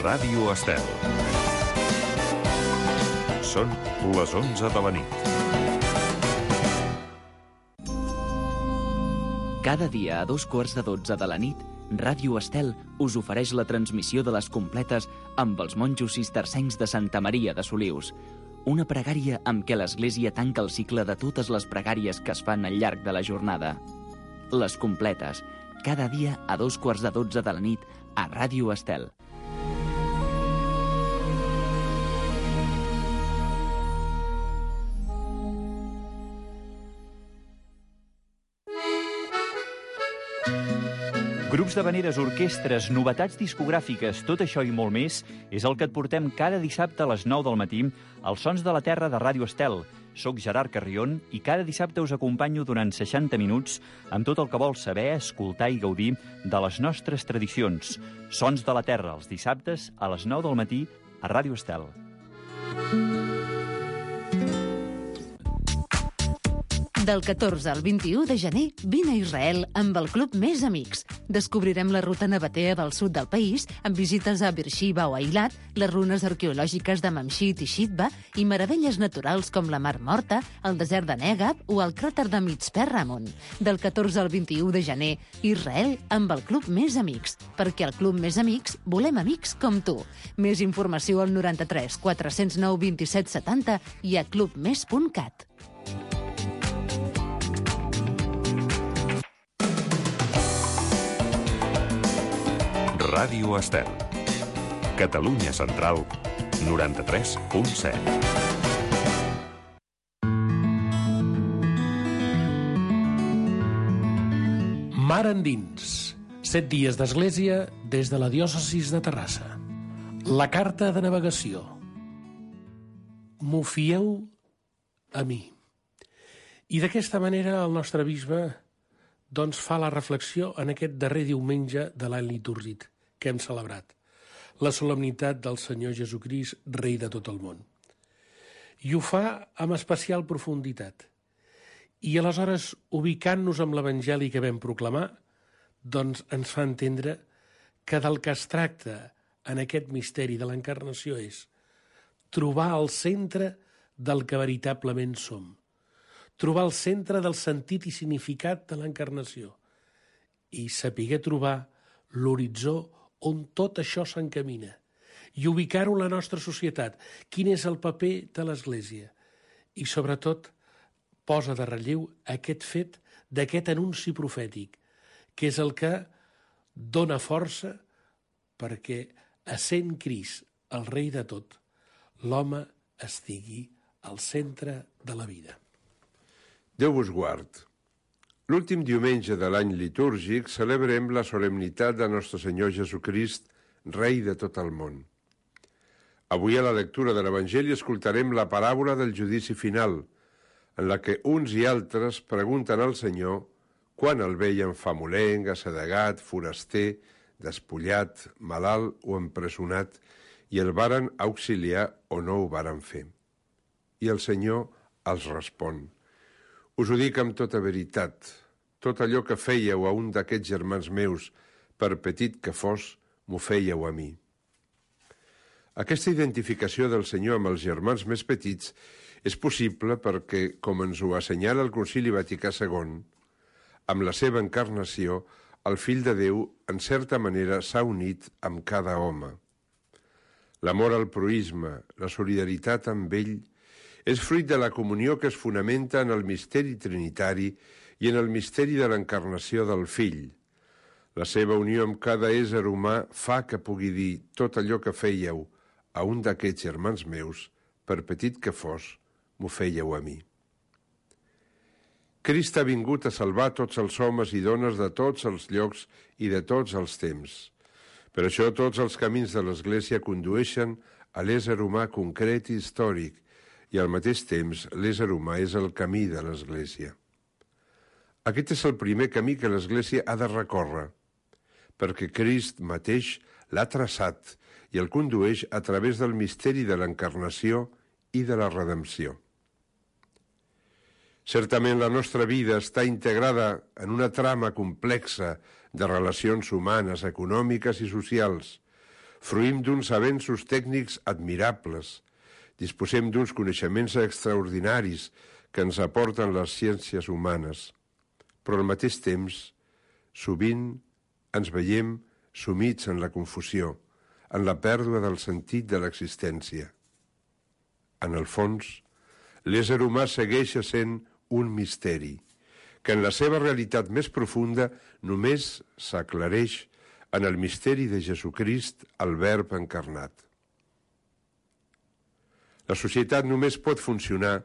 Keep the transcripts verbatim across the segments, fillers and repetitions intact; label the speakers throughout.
Speaker 1: Ràdio Estel. Són les onze de la nit.
Speaker 2: Cada dia a dos quarts de dotze de la nit, Ràdio Estel us ofereix la transmissió de les completes amb els monjos cistercencs de Santa Maria de Solius. Una pregària amb què l'Església tanca el cicle de totes les pregàries que es fan al llarg de la jornada. Les completes, cada dia a dos quarts de dotze de la nit a Ràdio Estel.
Speaker 3: Grups d'havaneres, orquestres, novetats discogràfiques, tot això i molt més és el que et portem cada dissabte a les nou del matí als Sons de la Terra de Ràdio Estel. Soc Gerard Carrion i cada dissabte us acompanyo durant seixanta minuts amb tot el que vols saber, escoltar i gaudir de les nostres tradicions. Sons de la Terra, els dissabtes a les nou del matí a Ràdio Estel.
Speaker 4: Del catorze al vint-i-u de gener, vine a Israel amb el Club Més Amics. Descobrirem la ruta nabatea del sud del país, amb visites a Beersheba o Eilat, les runes arqueològiques de Mamshit i Shitba i meravelles naturals com la Mar Morta, el desert de Negab o el cràter de Mitzpe Ramon. Del catorze al vint-i-u de gener, Israel amb el Club Més Amics. Perquè al Club Més Amics volem amics com tu. Més informació al noranta-tres quatre-cents nou vint-i-set setanta i a clubmes punt cat.
Speaker 1: Ràdio Estel. Catalunya Central, noranta-tres punt set.
Speaker 5: Mar endins. Set dies d'església des de la diòcesis de Terrassa. La carta de navegació. M'ho fieu a mi. I d'aquesta manera el nostre bisbe doncs fa la reflexió en aquest darrer diumenge de l'any litúrgic que hem celebrat, la solemnitat del Senyor Jesucrist, rei de tot el món. I ho fa amb especial profunditat. I aleshores, ubicant-nos amb l'Evangeli que vam proclamar, doncs ens fa entendre que del que es tracta en aquest misteri de l'encarnació és trobar el centre del que veritablement som, trobar el centre del sentit i significat de l'encarnació i saber trobar l'horitzó on tot això s'encamina i ubicar-ho en la nostra societat. Quin és el paper de l'Església? I sobretot posa de relleu aquest fet d'aquest anunci profètic, que és el que dona força perquè, essent Crist el rei de tot, l'home estigui al centre de la vida.
Speaker 6: Déu vos guard. L'últim diumenge de l'any litúrgic celebrem la solemnitat de nostre Senyor Jesucrist, rei de tot el món. Avui a la lectura de l'Evangeli escoltarem la paràbola del judici final, en la que uns i altres pregunten al Senyor quan el veien famolenc, assedegat, foraster, despullat, malalt o empresonat, i el varen auxiliar o no ho varen fer. I el Senyor els respon: us ho dic amb tota veritat, tot allò que fèieu a un d'aquests germans meus, per petit que fos, m'ho fèieu a mi. Aquesta identificació del Senyor amb els germans més petits és possible perquè, com ens ho assenyala el Concili Vaticà segon, amb la seva encarnació, el Fill de Déu, en certa manera, s'ha unit amb cada home. L'amor al proïsme, la solidaritat amb ell, és fruit de la comunió que es fonamenta en el misteri trinitari i en el misteri de l'encarnació del Fill. La seva unió amb cada ésser humà fa que pugui dir tot allò que fèieu a un d'aquests germans meus, per petit que fos, m'ho fèieu a mi. Crist ha vingut a salvar tots els homes i dones de tots els llocs i de tots els temps. Per això tots els camins de l'Església condueixen a l'ésser humà concret i històric, i al mateix temps l'ésser humà és el camí de l'Església. Aquest és el primer camí que l'Església ha de recórrer, perquè Crist mateix l'ha traçat i el condueix a través del misteri de l'encarnació i de la redempció. Certament la nostra vida està integrada en una trama complexa de relacions humanes, econòmiques i socials, fruïm d'uns avenços tècnics admirables, disposem d'uns coneixements extraordinaris que ens aporten les ciències humanes, però al mateix temps, sovint ens veiem sumits en la confusió, en la pèrdua del sentit de l'existència. En el fons, l'ésser humà segueix sent un misteri, que en la seva realitat més profunda només s'aclareix en el misteri de Jesucrist, el Verb encarnat. La societat només pot funcionar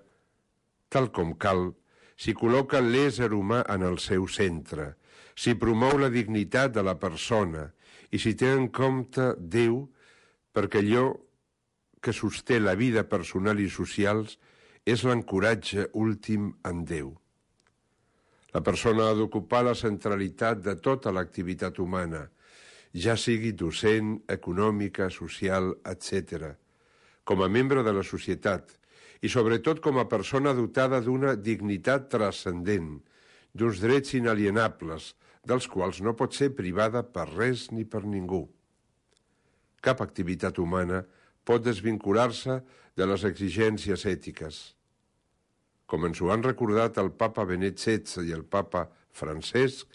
Speaker 6: tal com cal si col·loca l'ésser humà en el seu centre, si promou la dignitat de la persona i si té en compte Déu, perquè allò que sosté la vida personal i socials és l'ancoratge últim en Déu. La persona ha d'ocupar la centralitat de tota l'activitat humana, ja sigui docent, econòmica, social, etcètera, com a membre de la societat i sobretot com a persona dotada d'una dignitat transcendent, d'uns drets inalienables, dels quals no pot ser privada per res ni per ningú. Cap activitat humana pot desvincular-se de les exigències ètiques. Com ens ho han recordat el papa Benet setze i el papa Francesc,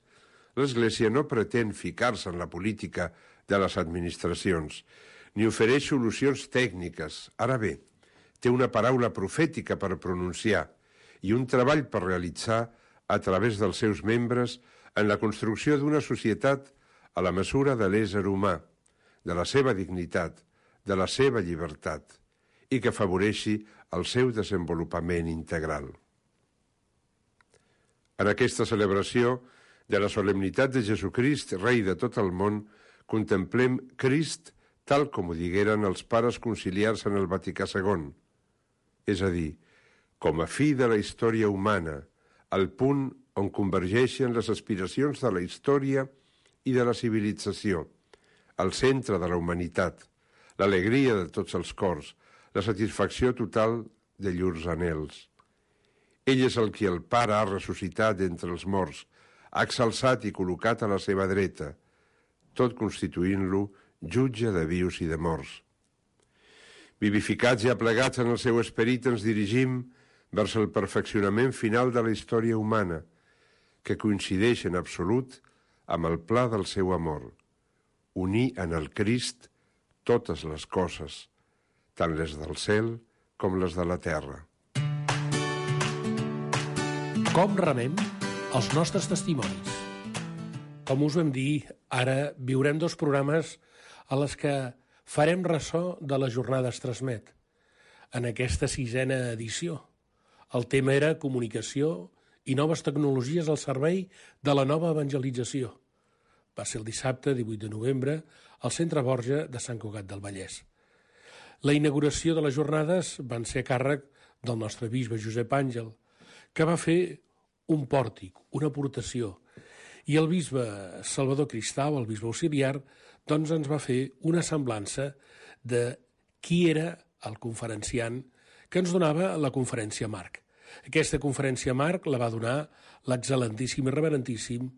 Speaker 6: l'Església no pretén ficar-se en la política de les administracions, ni ofereix solucions tècniques. Ara bé, té una paraula profètica per pronunciar i un treball per realitzar a través dels seus membres en la construcció d'una societat a la mesura de l'ésser humà, de la seva dignitat, de la seva llibertat, i que afavoreixi el seu desenvolupament integral. En aquesta celebració de la solemnitat de Jesucrist, rei de tot el món, contemplem Crist tal com ho digueren els pares conciliars en el Vaticà segon, és a dir, com a fi de la història humana, al punt on convergeixen les aspiracions de la història i de la civilització, al centre de la humanitat, l'alegria de tots els cors, la satisfacció total de llurs anhels. Ell és el qui el Pare ha ressuscitat d'entre els morts, ha exalçat i col·locat a la seva dreta, tot constituint-lo jutge de vius i de morts. Vivificats i aplegats en el seu esperit ens dirigim vers el perfeccionament final de la història humana, que coincideix en absolut amb el pla del seu amor, unir en el Crist totes les coses, tant les del cel com les de la terra.
Speaker 5: Com remem els nostres testimonis? Com us vam dir, ara viurem dos programes a les que farem ressò de la jornada Transmet. En aquesta sisena edició, el tema era comunicació i noves tecnologies al servei de la nova evangelització. Va ser el dissabte, divuit de novembre, al Centre Borja de Sant Cugat del Vallès. La inauguració de les jornades van ser a càrrec del nostre bisbe Josep Àngel, que va fer un pòrtic, una aportació, i el bisbe Salvador Cristau, el bisbe auxiliar, doncs ens va fer una semblança de qui era el conferenciant que ens donava la conferència Marc. Aquesta conferència Marc la va donar l'excel·lentíssim i reverentíssim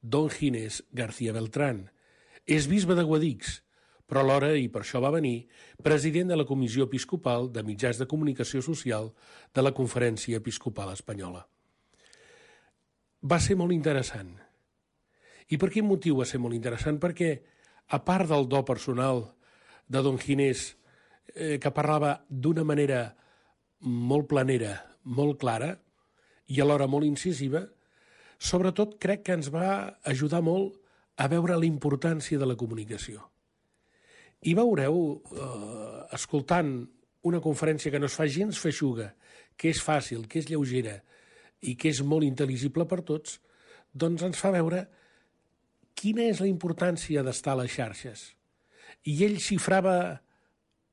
Speaker 5: Don Ginés García Beltrán. És bisbe de Guadix, però alhora, i per això va venir, president de la Comissió Episcopal de Mitjans de Comunicació Social de la Conferència Episcopal Espanyola. Va ser molt interessant. I per quin motiu va ser molt interessant? Perquè, a part del do personal de Don Ginés, eh, que parlava d'una manera molt planera, molt clara i alhora molt incisiva, sobretot crec que ens va ajudar molt a veure la importància de la comunicació. I veureu, eh, escoltant una conferència que no es fa gens feixuga, que és fàcil, que és lleugera i que és molt intel·ligible per tots, doncs ens fa veure quina és la importància d'estar a les xarxes. I ell xifrava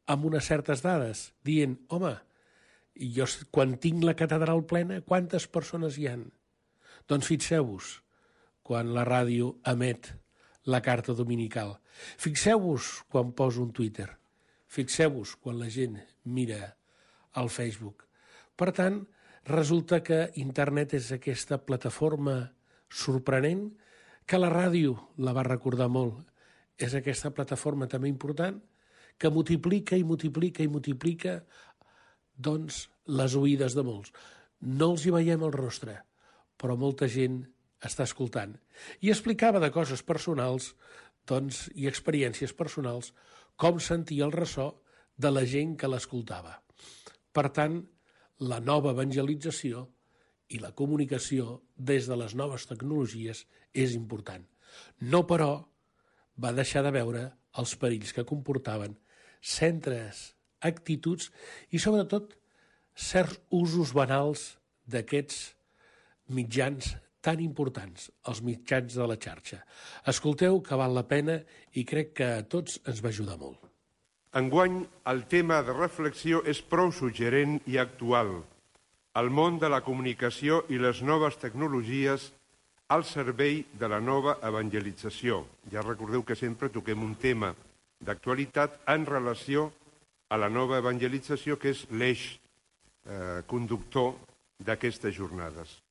Speaker 5: amb unes certes dades, dient, home, jo quan tinc la catedral plena, quantes persones hi han? Doncs fixeu-vos, quan la ràdio emet la carta dominical. Fixeu-vos quan poso un Twitter. Fixeu-vos quan la gent mira al Facebook. Per tant, resulta que internet és aquesta plataforma sorprenent que la ràdio la va recordar molt és aquesta plataforma també important que multiplica i multiplica i multiplica doncs, les oïdes de molts. No els hi veiem el rostre, però molta gent està escoltant. I explicava de coses personals doncs, i experiències personals com sentia el ressò de la gent que l'escoltava. Per tant, la nova evangelització i la comunicació des de les noves tecnologies és important. No, però, va deixar de veure els perills que comportaven centres, actituds i, sobretot, certs usos banals d'aquests mitjans tan importants, els mitjans de la xarxa. Escolteu que val la pena i crec que a tots ens va ajudar molt.
Speaker 6: Enguany, el tema de reflexió és prou suggerent i actual. El món de la comunicació i les noves tecnologies al servei de la nova evangelització. Ja recordeu que sempre toquem un tema d'actualitat en relació a la nova evangelització, que és l'eix eh, conductor d'aquestes jornades.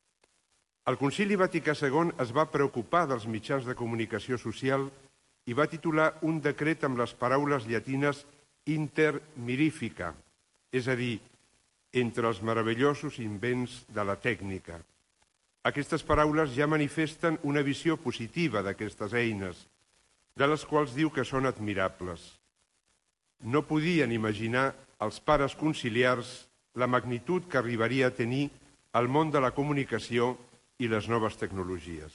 Speaker 6: El Concili Vaticà segon es va preocupar dels mitjans de comunicació social i va titular un decret amb les paraules llatines inter mirifica, és a dir, entre els meravellosos invents de la tècnica. Aquestes paraules ja manifesten una visió positiva d'aquestes eines, de les quals diu que són admirables. No podien imaginar els pares conciliars la magnitud que arribaria a tenir el món de la comunicació i les noves tecnologies.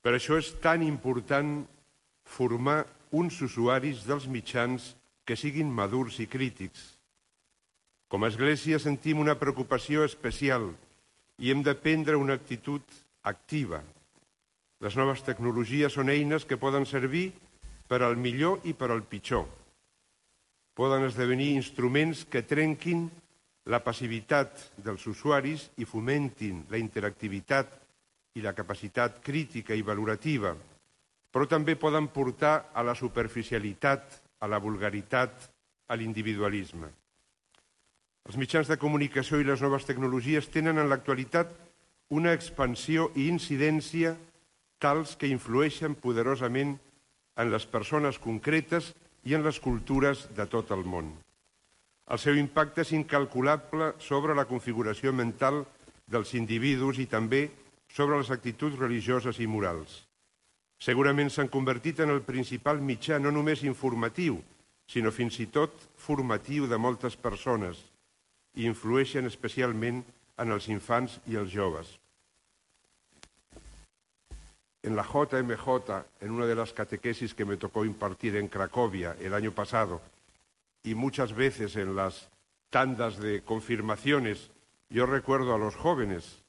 Speaker 6: Per això és tan important formar uns usuaris dels mitjans que siguin madurs i crítics. Com a Església sentim una preocupació especial i hem de prendre una actitud activa. Les noves tecnologies són eines que poden servir per al millor i per al pitjor. Poden esdevenir instruments que trenquin la passivitat dels usuaris i fomentin la interactivitat i la capacitat crítica i valorativa, però també poden portar a la superficialitat, a la vulgaritat, a l'individualisme. Els mitjans de comunicació i les noves tecnologies tenen en l'actualitat una expansió i incidència tals que influeixen poderosament en les persones concretes i en les cultures de tot el món. El seu impacte és incalculable sobre la configuració mental dels individus i també sobre les actituds religioses i morals. Segurament s'han convertit en el principal mitjà no només informatiu, sinó fins i tot formatiu de moltes persones i influeixen especialment en els infants y els joves. En la J M J, en una de las catequesis que me tocó impartir en Cracovia el año pasado, y muchas veces en las tandas de confirmaciones, yo recuerdo a los jóvenes,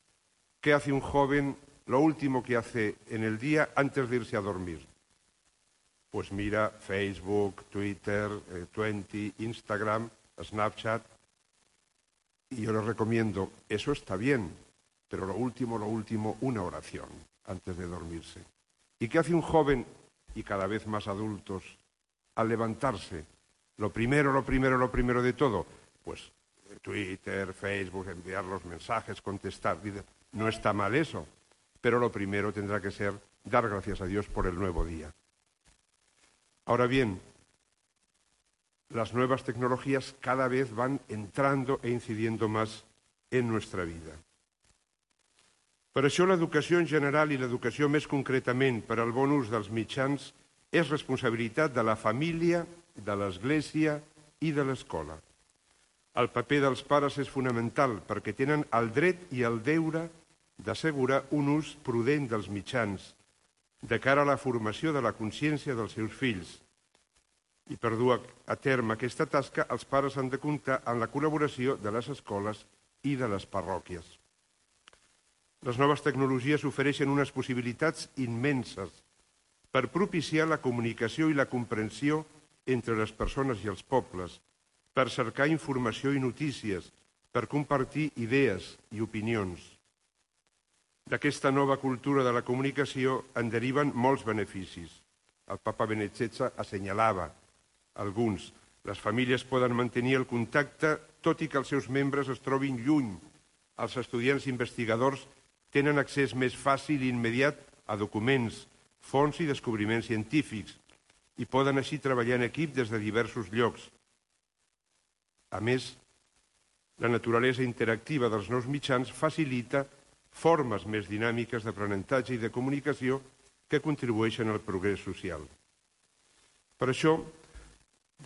Speaker 6: ¿qué hace un joven lo último que hace en el día antes de irse a dormir? Pues mira Facebook, Twitter, eh, Twenty, Instagram, Snapchat, y yo les recomiendo, eso está bien, pero lo último, lo último, una oración antes de dormirse. ¿Y qué hace un joven, y cada vez más adultos, al levantarse? Lo primero, lo primero, lo primero de todo, pues Twitter, Facebook, enviar los mensajes, contestar. No está mal eso, pero lo primero tendrá que ser dar gracias a Dios por el nuevo día. Ahora bien, las nuevas tecnologías cada vez van entrando e incidiendo más en nuestra vida. Per això l'educació en general i l'educació més concretament per al bon ús dels mitjans és responsabilitat de la família, de l'Església i de l'escola. El paper dels pares és fonamental perquè tenen el dret i el deure d'assegurar un ús prudent dels mitjans de cara a la formació de la consciència dels seus fills. I per dur a terme aquesta tasca, els pares han de comptar amb la col·laboració de les escoles i de les parròquies. Les noves tecnologies ofereixen unes possibilitats immenses per propiciar la comunicació i la comprensió entre les persones i els pobles, per cercar informació i notícies, per compartir idees i opinions. D'aquesta nova cultura de la comunicació en deriven molts beneficis. El papa Benet assenyalava alguns. Les famílies poden mantenir el contacte tot i que els seus membres es trobin lluny. Els estudiants investigadors tenen accés més fàcil i immediat a documents, fonts i descobriments científics i poden així treballar en equip des de diversos llocs. A més, la naturalesa interactiva dels nous mitjans facilita formes més dinàmiques d'aprenentatge i de comunicació que contribueixen al progrés social. Per això,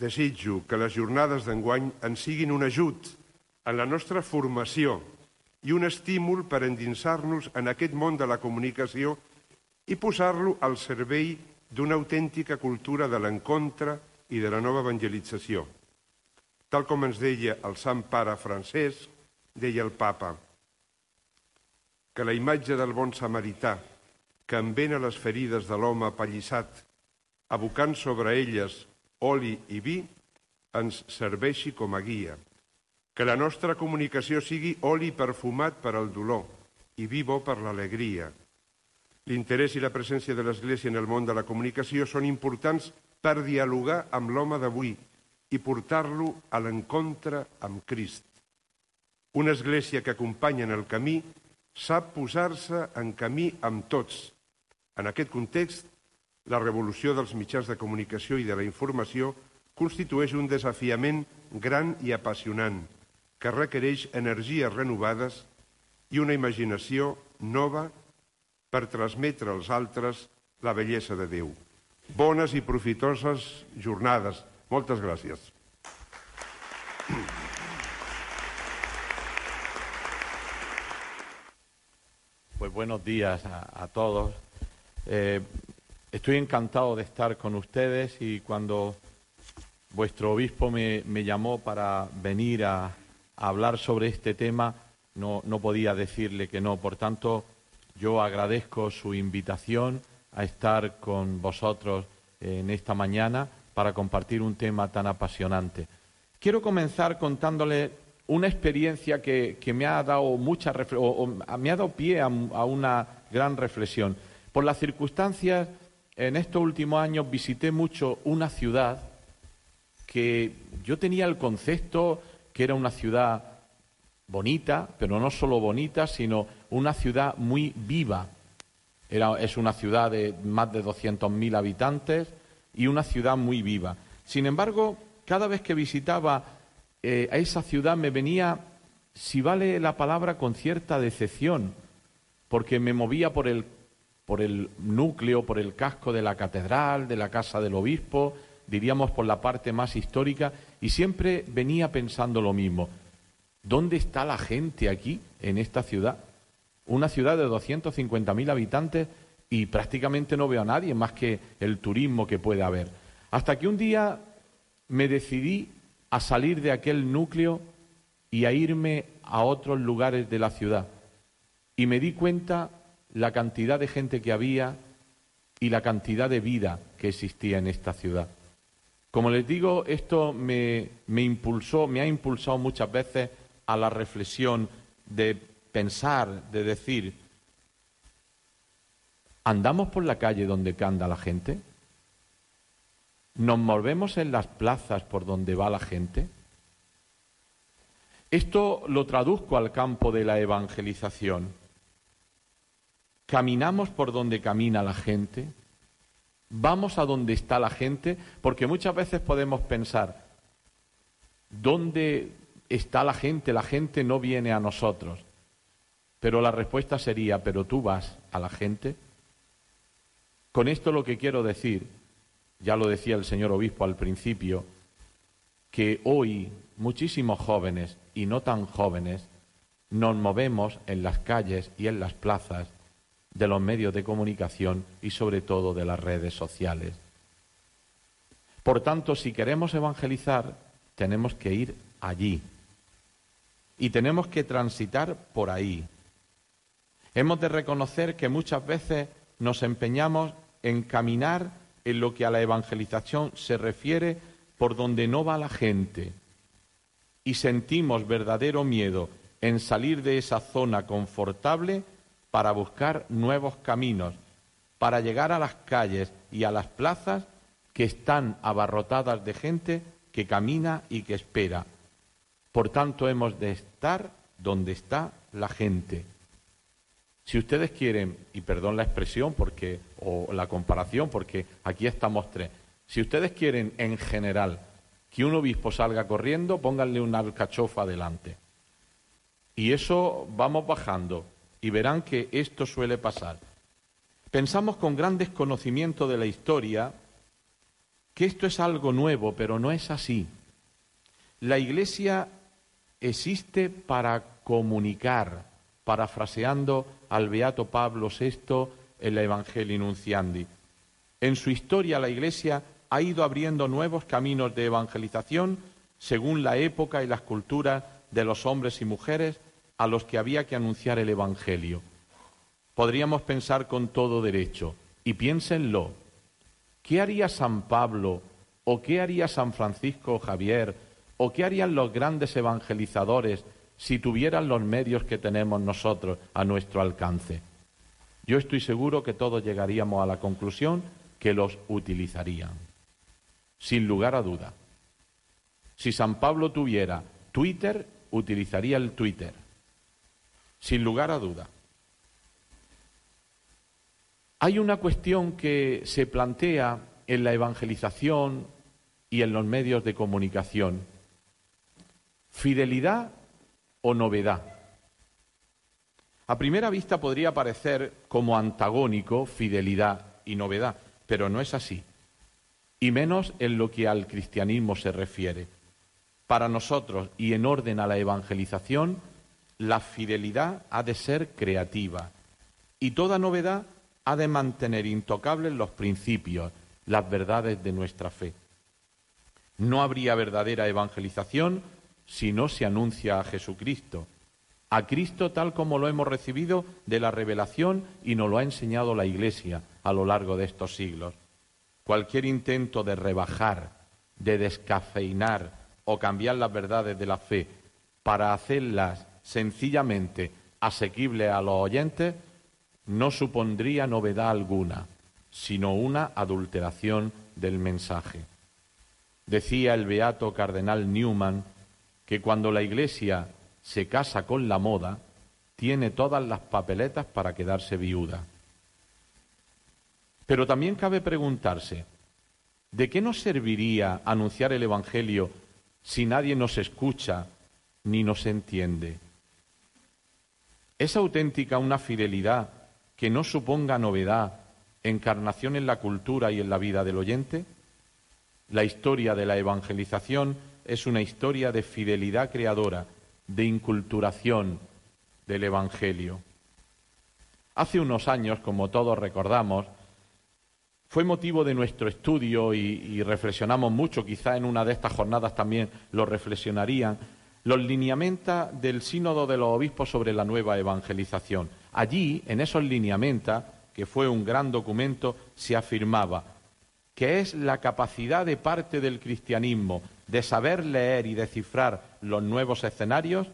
Speaker 6: desitjo que les jornades d'enguany ens siguin un ajut en la nostra formació i un estímul per endinsar-nos en aquest món de la comunicació i posar-lo al servei d'una autèntica cultura de l'encontre i de la nova evangelització. Tal com ens deia el Sant Pare Francesc, deia el Papa, que la imatge del bon samarità que envena les ferides de l'home apallissat, abocant sobre elles oli i vi, ens serveixi com a guia. Que la nostra comunicació sigui oli perfumat per al dolor i vi bo per l'alegria. L'interès i la presència de l'Església en el món de la comunicació són importants per dialogar amb l'home d'avui i portar-lo a l'encontre amb Crist. Una Església que acompanya en el camí sap posar-se en camí amb tots. En aquest context, la revolució dels mitjans de comunicació i de la informació constitueix un desafiament gran i apassionant, que requereix energies renovades i una imaginació nova per transmetre als altres la bellesa de Déu. Bones i profitoses jornades. Moltes gràcies.
Speaker 7: Pues buenos días a, a todos. Eh, estoy encantado de estar con ustedes y cuando vuestro obispo me, me llamó para venir a, a hablar sobre este tema, no, no podía decirle que no. Por tanto, yo agradezco su invitación a estar con vosotros en esta mañana para compartir un tema tan apasionante. Quiero comenzar contándole una experiencia que, que me ha dado mucha refle- o, o me ha dado pie a, a una gran reflexión. Por las circunstancias, en estos últimos años visité mucho una ciudad que yo tenía el concepto que era una ciudad bonita, pero no solo bonita, sino una ciudad muy viva. Era, es una ciudad de más de doscientos mil habitantes y una ciudad muy viva. Sin embargo, cada vez que visitaba eh, a esa ciudad me venía, si vale la palabra, con cierta decepción, porque me movía por el, por el núcleo, por el casco de la catedral, de la casa del obispo, diríamos por la parte más histórica, y siempre venía pensando lo mismo. ¿Dónde está la gente aquí, en esta ciudad? Una ciudad de doscientos cincuenta mil habitantes y prácticamente no veo a nadie más que el turismo que puede haber. Hasta que un día me decidí a salir de aquel núcleo y a irme a otros lugares de la ciudad. Y me di cuenta la cantidad de gente que había y la cantidad de vida que existía en esta ciudad. Como les digo, esto me, me impulsó, me ha impulsado muchas veces a la reflexión de pensar, de decir, ¿andamos por la calle donde anda la gente? ¿Nos movemos en las plazas por donde va la gente? Esto lo traduzco al campo de la evangelización. ¿Caminamos por donde camina la gente? ¿Vamos a donde está la gente? Porque muchas veces podemos pensar, ¿dónde está la gente? La gente no viene a nosotros. Pero la respuesta sería, ¿pero tú vas a la gente? Con esto lo que quiero decir, ya lo decía el señor obispo al principio, que hoy muchísimos jóvenes y no tan jóvenes nos movemos en las calles y en las plazas de los medios de comunicación y sobre todo de las redes sociales. Por tanto, si queremos evangelizar, tenemos que ir allí y tenemos que transitar por ahí. Hemos de reconocer que muchas veces nos empeñamos en caminar en lo que a la evangelización se refiere por donde no va la gente y sentimos verdadero miedo en salir de esa zona confortable para buscar nuevos caminos, para llegar a las calles y a las plazas que están abarrotadas de gente que camina y que espera. Por tanto, hemos de estar donde está la gente. Si ustedes quieren, y perdón la expresión porque o la comparación, porque aquí estamos tres, si ustedes quieren en general que un obispo salga corriendo, pónganle una alcachofa delante. Y eso vamos bajando y verán que esto suele pasar. Pensamos con gran desconocimiento de la historia que esto es algo nuevo, pero no es así. La Iglesia existe para comunicar, parafraseando al beato Pablo sexto en la Evangelii Nunciandi. En su historia la Iglesia ha ido abriendo nuevos caminos de evangelización según la época y las culturas de los hombres y mujeres a los que había que anunciar el Evangelio. Podríamos pensar con todo derecho, y piénsenlo, ¿qué haría San Pablo o qué haría San Francisco Javier o qué harían los grandes evangelizadores si tuvieran los medios que tenemos nosotros a nuestro alcance? Yo estoy seguro que todos llegaríamos a la conclusión que los utilizarían, sin lugar a duda. Si San Pablo tuviera Twitter, utilizaría el Twitter, sin lugar a duda. Hay una cuestión que se plantea en la evangelización y en los medios de comunicación: fidelidad o novedad. A primera vista podría parecer como antagónico fidelidad y novedad, pero no es así, y menos en lo que al cristianismo se refiere. Para nosotros, y en orden a la evangelización, la fidelidad ha de ser creativa y toda novedad ha de mantener intocables los principios, las verdades de nuestra fe. No habría verdadera evangelización si no se anuncia a Jesucristo, a Cristo tal como lo hemos recibido de la revelación y nos lo ha enseñado la Iglesia a lo largo de estos siglos. Cualquier intento de rebajar, de descafeinar o cambiar las verdades de la fe para hacerlas sencillamente asequibles a los oyentes no supondría novedad alguna, sino una adulteración del mensaje. Decía el beato cardenal Newman que cuando la Iglesia se casa con la moda, tiene todas las papeletas para quedarse viuda. Pero también cabe preguntarse, ¿de qué nos serviría anunciar el Evangelio si nadie nos escucha ni nos entiende? ¿Es auténtica una fidelidad que no suponga novedad, encarnación en la cultura y en la vida del oyente? La historia de la evangelización es una historia de fidelidad creadora, de inculturación del Evangelio. Hace unos años, como todos recordamos, fue motivo de nuestro estudio y, y reflexionamos mucho, quizá en una de estas jornadas también lo reflexionarían, los lineamenta del Sínodo de los Obispos sobre la nueva evangelización. Allí, en esos lineamenta, que fue un gran documento, se afirmaba que es la capacidad de parte del cristianismo de saber leer y descifrar los nuevos escenarios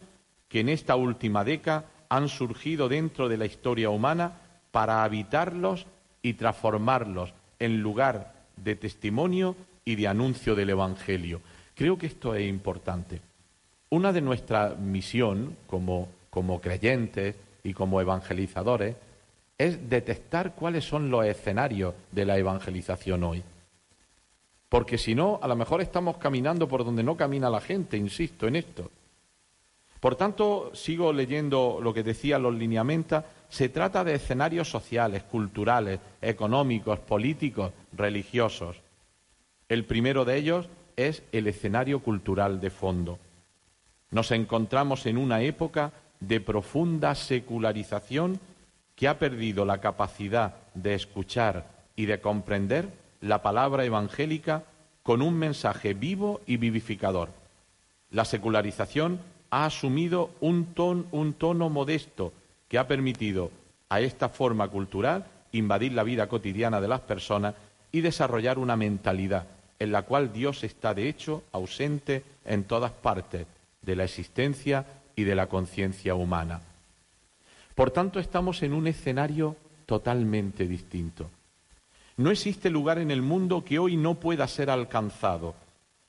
Speaker 7: que en esta última década han surgido dentro de la historia humana para habitarlos y transformarlos en lugar de testimonio y de anuncio del Evangelio. Creo que esto es importante. Una de nuestras misión como, como creyentes y como evangelizadores es detectar cuáles son los escenarios de la evangelización hoy. Porque si no, a lo mejor estamos caminando por donde no camina la gente, insisto en esto. Por tanto, sigo leyendo lo que decían los lineamenta, se trata de escenarios sociales, culturales, económicos, políticos, religiosos. El primero de ellos es el escenario cultural de fondo. Nos encontramos en una época de profunda secularización que ha perdido la capacidad de escuchar y de comprender la palabra evangélica con un mensaje vivo y vivificador. La secularización ha asumido un, ton, un tono modesto que ha permitido a esta forma cultural invadir la vida cotidiana de las personas y desarrollar una mentalidad en la cual Dios está de hecho ausente en todas partes de la existencia y de la conciencia humana. Por tanto, estamos en un escenario totalmente distinto. No existe lugar en el mundo que hoy no pueda ser alcanzado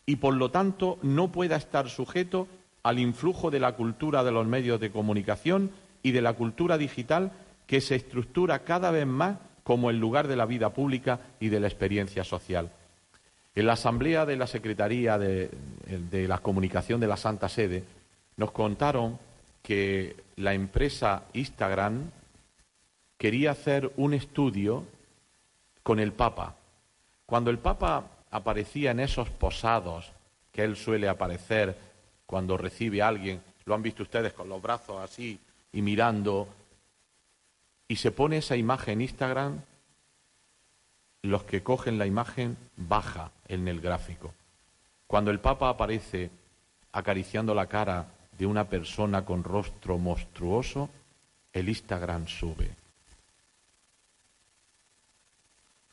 Speaker 7: y, por lo tanto, no pueda estar sujeto al influjo de la cultura de los medios de comunicación y de la cultura digital que se estructura cada vez más como el lugar de la vida pública y de la experiencia social. En la asamblea de la Secretaría de, de la Comunicación de la Santa Sede nos contaron que la empresa Instagram quería hacer un estudio con el Papa. Cuando el Papa aparecía en esos posados que él suele aparecer cuando recibe a alguien, lo han visto ustedes con los brazos así y mirando, y se pone esa imagen en Instagram, los que cogen la imagen baja en el gráfico. Cuando el Papa aparece acariciando la cara de una persona con rostro monstruoso, el Instagram sube.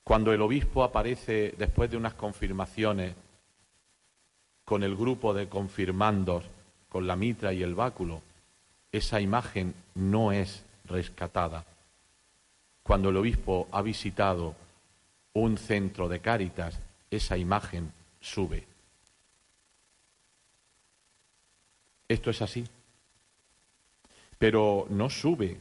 Speaker 7: Cuando el obispo aparece después de unas confirmaciones con el grupo de confirmandos, con la mitra y el báculo, esa imagen no es rescatada. Cuando el obispo ha visitado un centro de Cáritas, esa imagen sube. Esto es así. Pero no sube,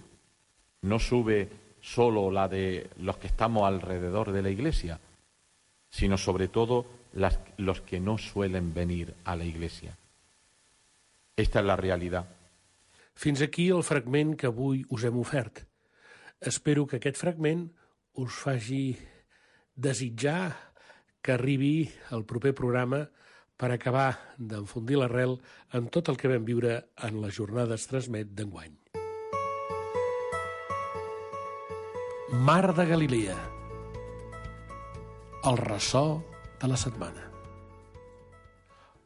Speaker 7: no sube solo la de los que estamos alrededor de la Iglesia, sino sobre todo las, los que no suelen venir a la Iglesia. Esta és la realitat.
Speaker 5: Fins aquí el fragment que avui us hem ofert. Espero que aquest fragment us faci desitjar que arribi el proper programa per acabar d'enfondir l'arrel en tot el que vam viure en les jornades Transmet d'enguany. Mar de Galilea. El ressò de la setmana.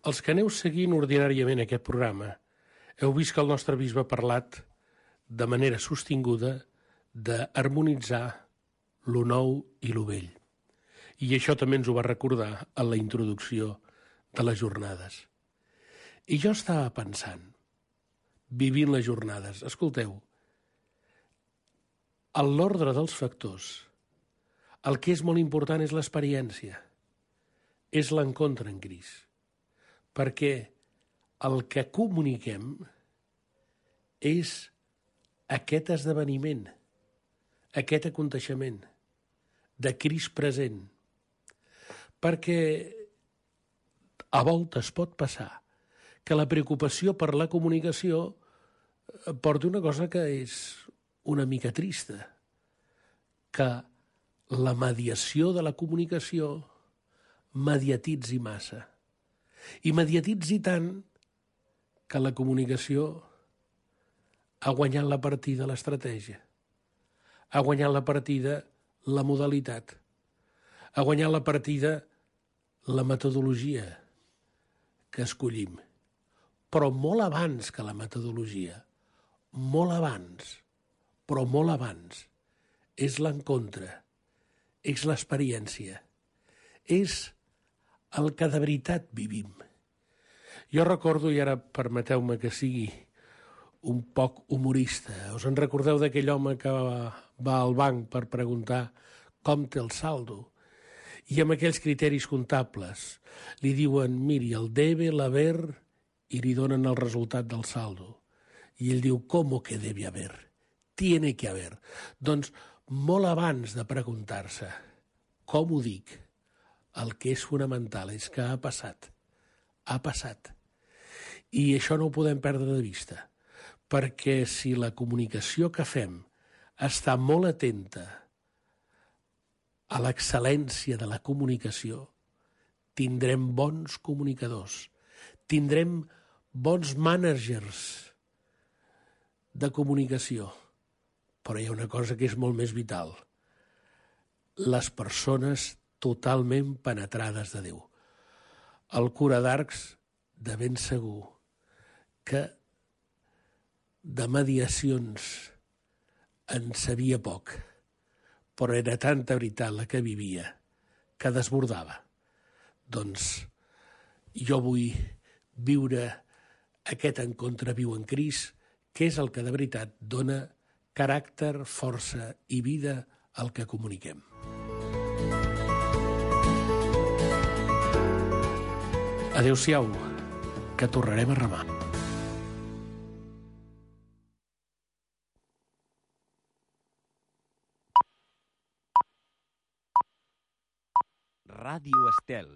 Speaker 5: Els que aneu seguint ordinàriament aquest programa heu vist que el nostre bisbe ha parlat de manera sostinguda d'harmonitzar lo nou i lo vell. I això també ens ho va recordar en la introducció de les jornades. I jo estava pensant, vivint les jornades, escolteu, en l'ordre dels factors, el que és molt important és l'experiència, és l'encontre en Crist, perquè el que comuniquem és aquest esdeveniment, aquest aconteixement de Crist present, perquè a voltes pot passar que la preocupació per la comunicació porta una cosa que és una mica trista, que la mediació de la comunicació mediatitzi massa. I mediatitzi tant que la comunicació ha guanyat la partida l'estratègia, ha guanyat la partida la modalitat, ha guanyat la partida la metodologia que escollim. Però molt abans que la metodologia, molt abans, però molt abans, és l'encontre, és l'experiència, és el que de veritat vivim. Jo recordo, i ara permeteu-me que sigui un poc humorista, us en recordeu d'aquell home que va, va al banc per preguntar com té el saldo? I amb aquells criteris comptables li diuen, miri, el debe, l'haver, i li donen el resultat del saldo. I ell diu, com que debe haver? Tiene que haver. Doncs molt abans de preguntar-se com ho dic, el que és fonamental és que ha passat. Ha passat. I això no ho podem perdre de vista, perquè si la comunicació que fem està molt atenta a l'excel·lència de la comunicació, tindrem bons comunicadors, tindrem bons mànagers de comunicació. Però hi ha una cosa que és molt més vital. Les persones totalment penetrades de Déu. El cura d'Arcs, de ben segur, que de mediacions en sabia poc, però era tanta veritat la que vivia que desbordava. Doncs jo vull viure aquest encontre viu en Crist, que és el que de veritat dona caràcter, força i vida al que comuniquem. Adéu-siau, que tornarem a remar.
Speaker 8: Esta,
Speaker 3: Ràdio Estel.